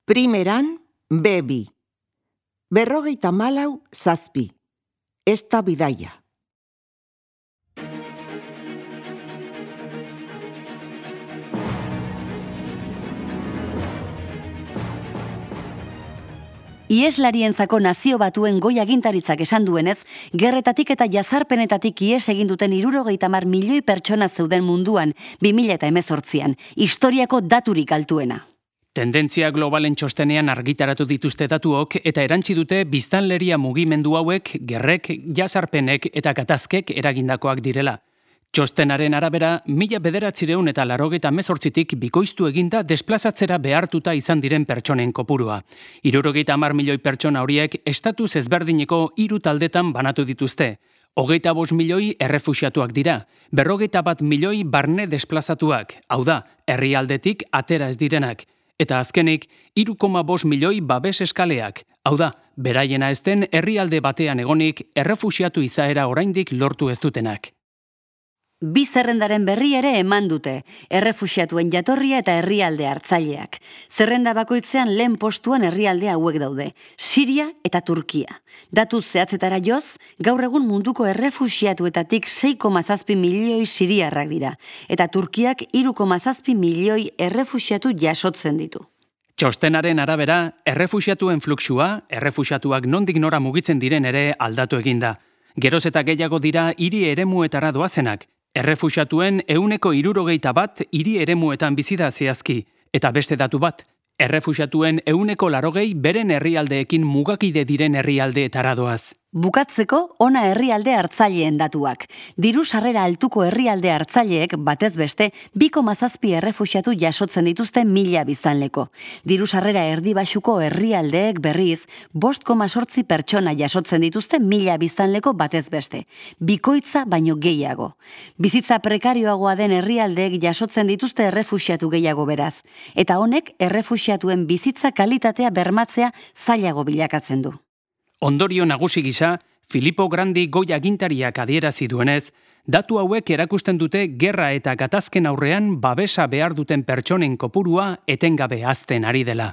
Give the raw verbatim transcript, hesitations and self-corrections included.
Primeran, be bi. Berrogeita malau, zazpi. Ez da bidaia. Iheslarientzako Nazio Batuen Goi Agintaritzak esan duenez, gerretatik eta jazarpenetatik ihes egin duten hirurogeita hamar milioi pertsona zeuden munduan bi mila hemezortzian, historiako daturik altuena. Tendentzia globalen txostenean argitaratu dituzte datuok eta erantsi dute biztanleria mugimendu hauek gerrek, jazarpenek eta gatazkek eragindakoak direla. Txostenaren arabera, mila bederatzireun eta laurogeita hemezortzitik bikoiztu eginda desplazatzera behartuta izan diren pertsonen kopurua. Hirurogeita hamar milioi pertsona horiek estatuz ezberdineko hiru taldetan banatu dituzte. Hogeita bost milioi errefuxiatuak dira, berrogeita bat milioi barne desplazatuak, hau da, herrialdetik atera ez direnak. Eta azkenik, hiru koma bost milioi babes eskaleak, hau da, beraiena ez den herrialde batean egonik errefuxiatu izaera oraindik lortu ez dutenak. Bi zerrendaren berri ere eman dute, errefuxiatuen jatorria eta herrialde hartzaileak. Zerrenda bakoitzean lehen postuan herrialde hauek daude, Siria eta Turkia. Datu zehatzetara joz, gaur egun munduko errefuxiatuetatik sei koma zazpi milioi siriarrak dira, eta Turkiak hiru koma zazpi milioi errefuxiatu jasotzen ditu. Txostenaren arabera, errefuxiatuen fluxua, errefuxiatuak nondik nora mugitzen diren ere aldatu eginda. Geroz eta gehiago dira hiri eremuetara doazenak, errefuxiatuen ehuneko hirurogeita bat hiri eremuetan bizi da zehazki, eta beste datu bat, errefuxiatuen ehuneko laurogei beren herrialdeekin mugakide diren herrialdeetara doaz. Bukatzeko, ona herrialde hartzaileen datuak. Diru sarrera altuko herrialde hartzaileek batez beste bi koma zazpi errefuxiatu jasotzen dituzte mila biztanleko. Diru sarrera erdi baxuko herrialdeek berriz bost koma zortzi pertsona jasotzen dituzte mila biztanleko batez beste. Bikoitza baino gehiago. Bizitza prekarioagoa den herrialdeek jasotzen dituzte errefuxiatu gehiago beraz. Eta honek errefuxiatuen bizitza kalitatea bermatzea zailago bilakatzen du. Ondorio nagusi gisa, Filippo Grandi Goi Agintariak adierazi duenez, datu hauek erakusten dute gerra eta gatazken aurrean babesa behar duten pertsonen kopurua etengabe hazten ari dela.